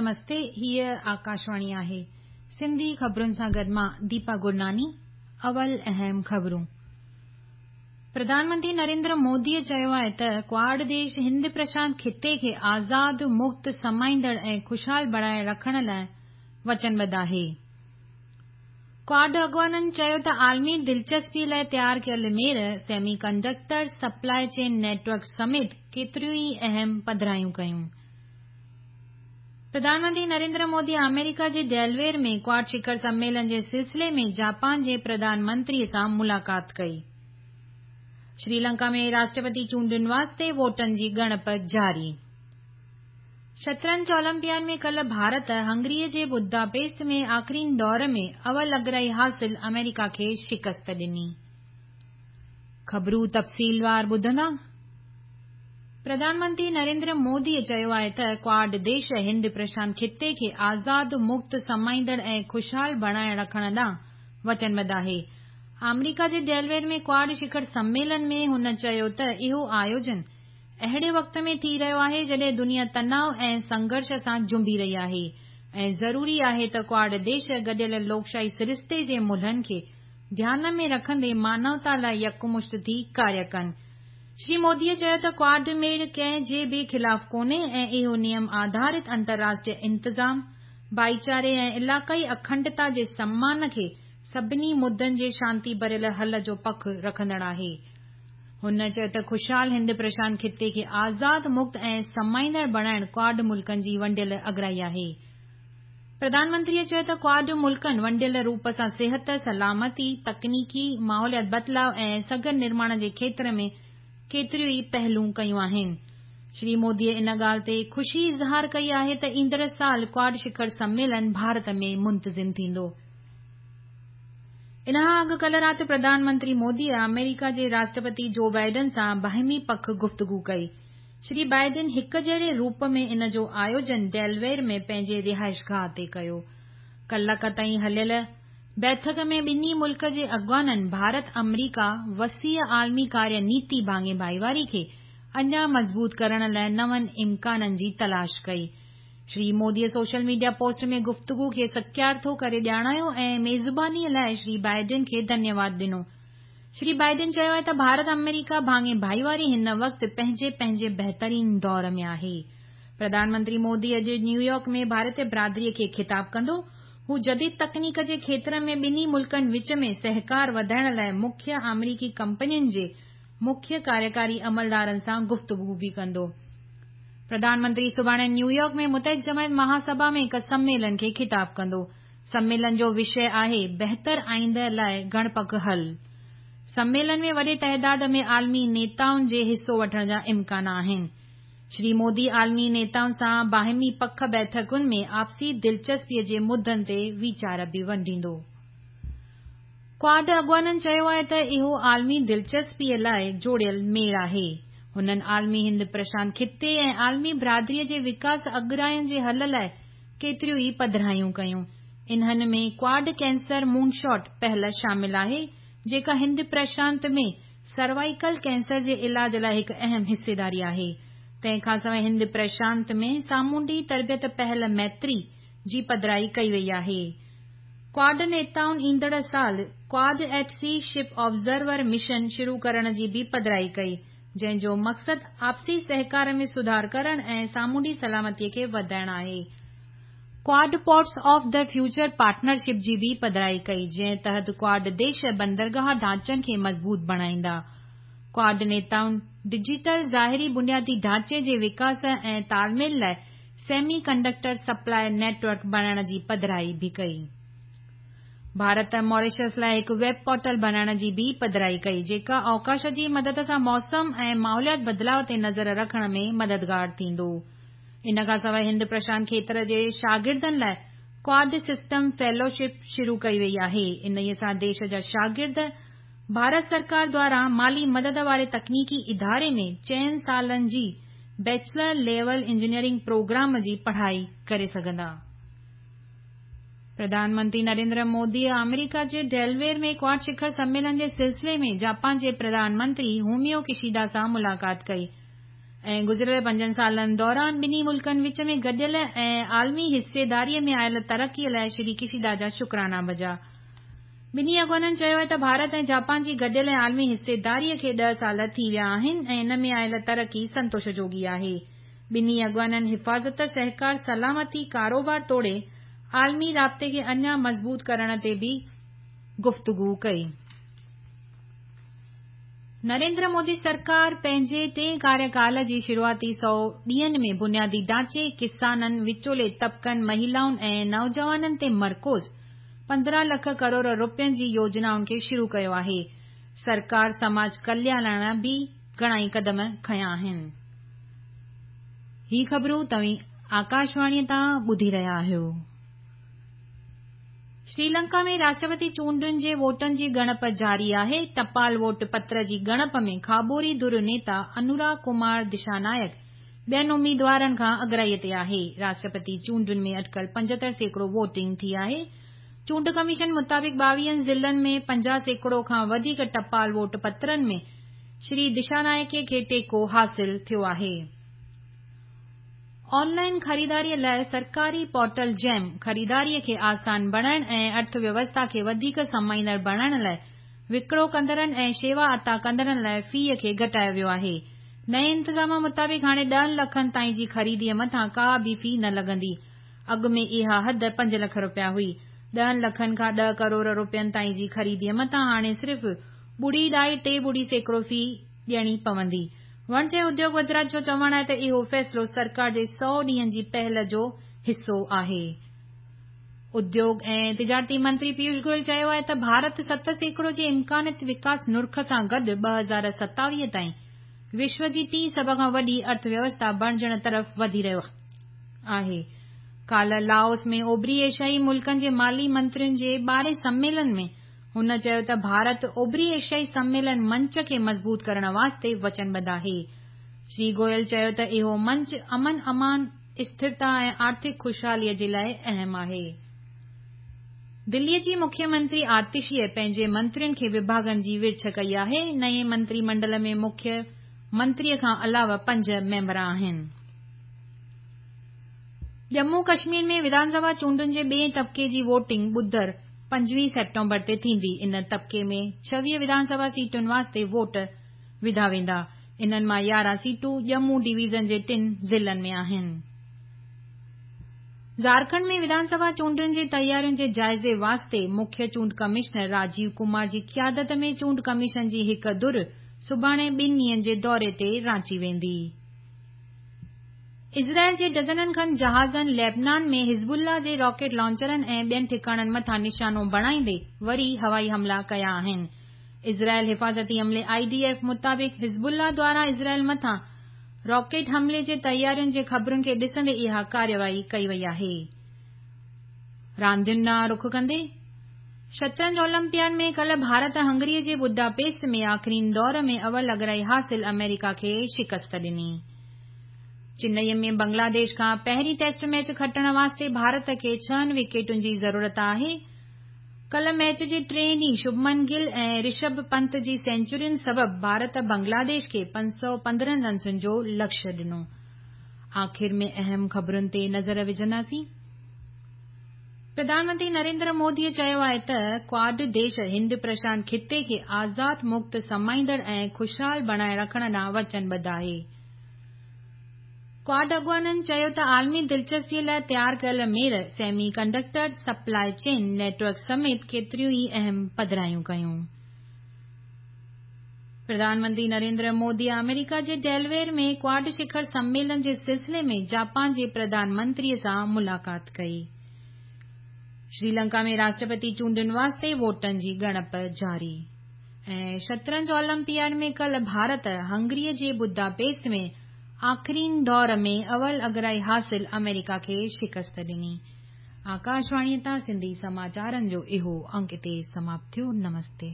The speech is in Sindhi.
نمستي هيء آڪاشواڻي آهي. سنڌي خبرن سان گڏ مان ديپا گرناني. اول اهم خبرون. پرڌان منتري نريندر موديء چيو آهي ته ڪواڊ ديش هند پرشانت خطي کي آزاد، مڪت، سمائيندڙ ۽ خوشحال بڻائي رکڻ لاء وچنبڌ آهي. ڪواڊ اڳواڻن چيو ته عالمي دلچسپي لاء تيار ڪيل ميڙ semi conductor supply chain network سميت ڪيتريون ئي اهم پڌرايون ڪيون. پرڌان منتري نريندر مودي آمريڪا جي ڊيلويئر ۾ ڪواڊ شکر سميلن جي سلسلي ۾ جاپان جي پرڌان منتري سان ملاقات ڪئي. شريلنڪا ۾ راشٽرپتي چونڊن واسطي ووٽن جي ڳڻپ جاري. شطرنج اولمپياڊ ۾ ڪلهه ڀارت هنگري جي بداپيست ۾ آخرين دور ۾ اول اڳرائي حاصل آمريڪا کي شڪست ڏني. خبرون تفصيلوار ٻڌندا. پرڌان منتري نريندر مودي چيو آهي ته ڪواڊ ديش هند پرشانت خطي کي آزاد، مڪت، سمائيندڙ ۽ خوشحال بڻائي رکڻ ڏانهن وچنبڌ آهي. آمريڪا جي ڊيلويئر ۾ ڪواڊ شکر سميلن ۾ هن چيو ته اهو آيوجن اهڙي وقت ۾ ٿي رهيو آهي جڏهن دنيا تناء ۽ سنگهرش سان جنبي رهي آهي ۽ ضروري آهي ته ڪواڊ ديش گڏيل لوڪشاهي سرشتي جي ملهن کي ڌيان ۾ رکندي مانوتا لاء يڪمشت ٿي ڪاريه ڪن. شري موديء چيو ته ڪواڊ ميڙ ڪنهن جي به خلاف ڪونهي ۽ اهو نيم آڌارت انترراشٽريه انتظام، ڀائيچاري ۽ علاقائي اکنڊتا جي سمان کي سڀني مدن جي شانتي ڀريل حل جو پک رکندڙ آهي. هن چيو ته خوشحال هند پرشانت خطي کي آزاد، مڪت ۽ سمائيندڙ بڻائڻ ڪواڊ ملڪن جي ونڊيل اڳرائي آهي. پرڌان منتريء چيو ته ڪواڊ ملڪن ونڊيل روپ سان صحت، سلامتي، تڪنيڪي، ماحوليات بدلاء ۽ سگهه نرماڻ جي کيتر ۾ ڪيتريون ئي پهلون ڪيون آهن. شري موديء ان ڳالهه تي خوشي اظهار ڪئي آهي ته ايندڙ سال ڪواڊ شکر سميلن ڀارت ۾ منتظم ٿيندو. ان کان اڳ ڪلهه رات پرڌان منتري موديء آمريڪا جي راشٽرپتي جو بائيڊن سان باهمي پک گفتگو ڪئي. شري بائيڊن هڪ جهڙي روپ ۾ ان جو آيوجن ڊيلويئر ۾ پنهنجي رهائشگاهه تي ڪيو. ڪلاڪ تائين هليل بيٺڪ ۾ ٻنهي ملڪ جي اڳواڻن ڀارت-آمريڪا وسيع عالمي ڪاريه نيتي ڀاڱي ڀائيواري کي اڃا مضبوط ڪرڻ لاء نون امڪانن جي تلاش ڪئي. شري موديء سوشل ميڊيا پوسٽ ۾ گفتگو کي سڪيارٿو ڪري ڄاڻايو ۽ ميزبانيء لاء شري بائيڊن کي ڌنيواد ڏنو. شري بائيڊن چيو آهي ته ڀارت آمريڪا ڀاڱي ڀائيواري هن وقت پنهنجي پنهنجي بهترين دور ۾ آهي. پرڌان منتري مودي اڄ نيويارڪ ۾ ڀارتي برادري کي خطاب ڪندو. هو جديد تڪنيڪ جي کيتر ۾ ٻنهي ملڪن وچ ۾ سهڪار وڌائڻ لاء مکيه آمريڪي ڪمپنين جي مکيه ڪاريڪاري عملدارن سان گفتگو به ڪندو. پرڌان منتري سڀاڻي نيويارڪ ۾ متحد جماعت مهاسڀا ۾ هڪ سميلن کي خطاب ڪندو. سميلن جو وشيه آهي بهتر آئينده لاء گهڻ پک حل. سميلن ۾ وڏي تعداد ۾ عالمي نيتائن جي حصو وٺڻ جا امڪان آهن. شري مودي عالمي نيتائن سان باهمي پک بيٺڪن ۾ آپسي دلچسپيء جي مدن تي ويچار به ونڊيندو. ڪواڊ اڳواڻن چيو آهي ته اهو عالمي دلچسپيء لاء جوڙيل ميڙ آهي. هنن عالمي هند پرشانت خطي ۽ عالمي برادريء جي وڪاس اڳراين جي حل لاء ڪيتريون ئي پڌرايون ڪيون. انهن ۾ ڪواڊ ڪينسر مون شاٽ پهل شامل آهي، جيڪا هند پرشانت ۾ سروائيڪل ڪينسر جي علاج لاء هڪ اهم حصيداري آهي. تنهن کانسواء هند پرشانت ۾ سامونڊي تربيت پهل ميتري جي پڌرائي ڪئي وئي آهي. ڪواڊ نيتائن ايندڙ سال Quad at sea ship observer mission شروع ڪرڻ جي به پڌرائي ڪئي، جنهن جو مقصد آپسي سهڪار ۾ سڌار ڪرڻ ۽ سامونڊي سلامتي کي وڌائڻ آهي. Quad ports of the future partnership جي به پڌرائي ڪئي، جنهن تحت ڪواڊ ديش بندرگاهه ڍانچن کي مضبوط بڻائيندا. ڪواڊ نيتائن ڊجيٽل ظاهري بنيادي ڍانچي جي وڪاس ۽ تال ميل لاء semi conductor supply net work بڻائڻ جي پڌرائي به ڪئي. ڀارت ماريشس لاء هڪ ويب پورٽل بڻائڻ جي به پڌرائي ڪئي، جيڪا اوڪاش جي مدد سان موسم ۽ ماحوليات بدلاء تي نظر رکڻ ۾ مددگار ٿيندو. ان کانسواء هند پرشانت کيتر جي شاگردن لاء ڪواڊ سسٽم فيلوشپ شروع ڪئي وئي آهي، انهيء سان ديش جا شاگرد ڀارت سرڪار دواران مالي مدد واري تڪنيڪي اداري ۾ چئن سالن جي بيچلر ليول انجنيئرنگ پروگرام جي پڙهائي ڪري سگهندا. پرڌان منتري نريندر موديء آمريڪا جي ڊيلويئر ۾ ڪواڊ شکر سميلن جي سلسلي ۾ جاپان جي پرڌان منتري فوميو ڪشيدا سان ملاقات ڪئي. ۽ گذريل پنجن سالن دوران ٻنهي ملڪن وچ ۾ گڏيل ۽ عالمي حصيداري ۾ آيل ترقي لاء شري ڪشيدا جا شڪرانا بجا. ٻنهي اڳواڻن چيو آهي ته ڀارت ۽ جاپان جي گڏيل ۽ عالمي حصيداري کي ڏهه سال ٿي ويا آهن ۽ ان ۾ آيل ترقي سنتوش جوڳي آهي. ٻنهي اڳواڻن حفاظت، سهڪار، سلامتي، ڪاروبار توڙي عالمي رابطي کي اڃا مضبوط ڪرڻ تي به گفتگو ڪئي. نريندر مودي سرڪار پنهنجي ٽئين ڪاريڪال جي شروعاتي سئو ڏينهن ۾ بنيادي ڍانچي، ڪسانن، وچولي طبقن، مهيلائن ۽ نوجوانن تي مرڪوز 15 لک ڪروڙ رپين جي يوجنائن کي شروع ڪيو آهي. سرڪار سماج ڪلياڻ لاء به گهڻائي قدم کنيا آهن. هي خبرون توهين آڪاشواڻيء تان ٻڌي رهيا آهيو. شريلنڪا ۾ راشٽرپتي چونڊن جي ووٽن جي ڳڻپ جاري آهي. ٽپال ووٽ پتر جي ڳڻپ ۾ کاٻوري ڌر نيتا انورا ڪمار دشانايڪ ٻين اميدوارن کان اڳرائيء تي آهي. راشٽرپتي چونڊن ۾ اٽڪل 75% ووٽنگ ٿي آهي. چونڊ ڪميشن مطابق 22 ضلعن ۾ 50% کان وڌيڪ ٽپال ووٽ پترن ۾ شري دشانايڪي کي ٽيڪو حاصل ٿيو آهي. آن لائن خريداريء لاء سرڪاري پورٽل جيم خريداريء کي آسان بڻائڻ ۽ ارٿ ويوسٿا کي وڌيڪ سمائيندڙ بڻائڻ لاء وڪرو ڪندڙن ۽ شيوا عطا ڪندڙن لاء فيء کي گهٽايو ويو آهي. نئين انتظام مطابق هاڻي ڏهن لکن تائين جي خريديء مٿان ڪا به في نه لڳندي. اڳ ۾ اها حد پنج لک رپيا هئي. ڏهن لکن کان ڏهه ڪروڙ رپين تائين جي خريديء مٿان هاڻي صرف ٻڙي ڏهائي ٽي ٻڙي سيڪڙو في ڏيڻي پوندي. وڻج ۽ اديوڳ وزارت جو چوڻ آهي ته اهو فيصلو سرڪار جي سئو ڏينهن جي پهل جو حصو آهي. اديوڳ ۽ تجارتي منتري پيوش گويل چيو آهي ته ڀارت 7% جي امڪاني وڪاس نرخ سان گڏ 2027 تائين وشو جي ٽين سڀ کان وڏي ارٿ ويوسٿا بڻجڻ طرف وڌي رهيو آهي. ڪالهه لاوس ۾ اوڀري ايشيائي ملڪن جي مالي منترين جي ٻارهين سميلن ۾ هن چيو ته ڀارت اوڀري ايشيائي سميلن منچ کي مضبوط ڪرڻ واسطي وچنبڌ آهي. شري گويل چيو ته اهو منچ امن امان، اسٿرتا ۽ آرٿڪ خوشحاليء جي لاء اهم آهي. دليء جي مکيه منتري آتشيء پنهنجي منترين کي وڀاڳن جي ورڇ ڪئي آهي. نئين منتري منڊل ۾ مکيه منتريء کان علاوه پنج ميمبر آهن. ڄمون ڪشمير ۾ وڌان سڀا چونڊن جي ٻئين طبقي جي ووٽنگ ٻڌر 25 سيپٽمبر تي ٿيندي. ان طبقي ۾ 26 وڌان سڀا سيٽن واسطي ووٽ وڌا ويندا. انهن مان 11 سيٽون ڄمون ڊويزن جي ٽن ضلعن ۾ آهن. جهارکنڊ ۾ وڌان سڀا چونڊن جي تيارين جي جائزي واسطي مکيه چونڊ ڪمشنر راجيو ڪمار جي قيادت ۾ چونڊ ڪميشن جي هڪ ڌر سڀاڻي ٻن ڏينهن جي دوري تي رانچي ويندي. اسرائيل جي ڊزنن کن جهازن ليبنان ۾ حزب الله جي راڪيٽ لانچرن ۽ ٻين ٺڪاڻن مٿان نشانو بڻائيندي وري هوائي حملا ڪيا آهن. اسرائيل حفاظتي عملي I D F مطابق حزب الله دواران اسرائيل مٿان راڪيٽ حملي جي تيارين جي خبرن کي ڏسندي اها ڪارروائي ڪئي وئي آهي. راندين ڏانهن رخ ڪندي شطرنج اولمپياڊ ۾ ڪلهه ڀارت هنگري جي بوداپيسٽ ۾ آخرين دور ۾ اول اڳرائي حاصل آمريڪا کي شڪست ڏني. چنئي ۾ بنگلاديش کان پهرين ٽيسٽ ميچ کٽڻ واسطي ڀارت کي ڇهن وڪيٽن جي ضرورت آهي. ڪلهه ميچ جي ٽئين ڏينهن شڀمن گل ۽ رشڀ پنت جي سينچرين سبب ڀارت بنگلاديش کي 515 رنسن جو لڪشيه ڏنو. آخر ۾ اهم خبرن تي نظر وجهنداسين. پرڌان منتري نريندر موديء چيو آهي ته ڪواڊ ديش هند پرشانت خطي کي آزاد، مڪت، سمائيندڙ ۽ خوشحال بڻائي رکڻ ڏانهن وچنبڌ آهي. ڪواڊ اڳواڻن چيو ته عالمي دلچسپيء لاء تيار ڪيل Mir semi conductor supply chain network سميت ڪيتريون ئي اهم پڌرايون ڪيون. پرڌان منتري نريندر مودي آمريڪا جي ڊيلويئر ۾ ڪواڊ شکر سميلن جي سلسلي ۾ جاپان جي پرڌان منتري سان ملاقات ڪئي. شريلنڪا ۾ راشٽرپتي چونڊن واسطي ووٽن جي ڳڻپ جاري. ۽ شطرنج اولمپياڊ ۾ ڪلهه ڀارت هنگريء جي بوداپيسٽ ۾ آخرين دور ۾ اول اڳرائي حاصل آمريڪا کي شڪست ڏني. آڪاشواڻيء تان سنڌي سماچارن جو اهو انڪ اتي سماپت ٿيو. نمستي.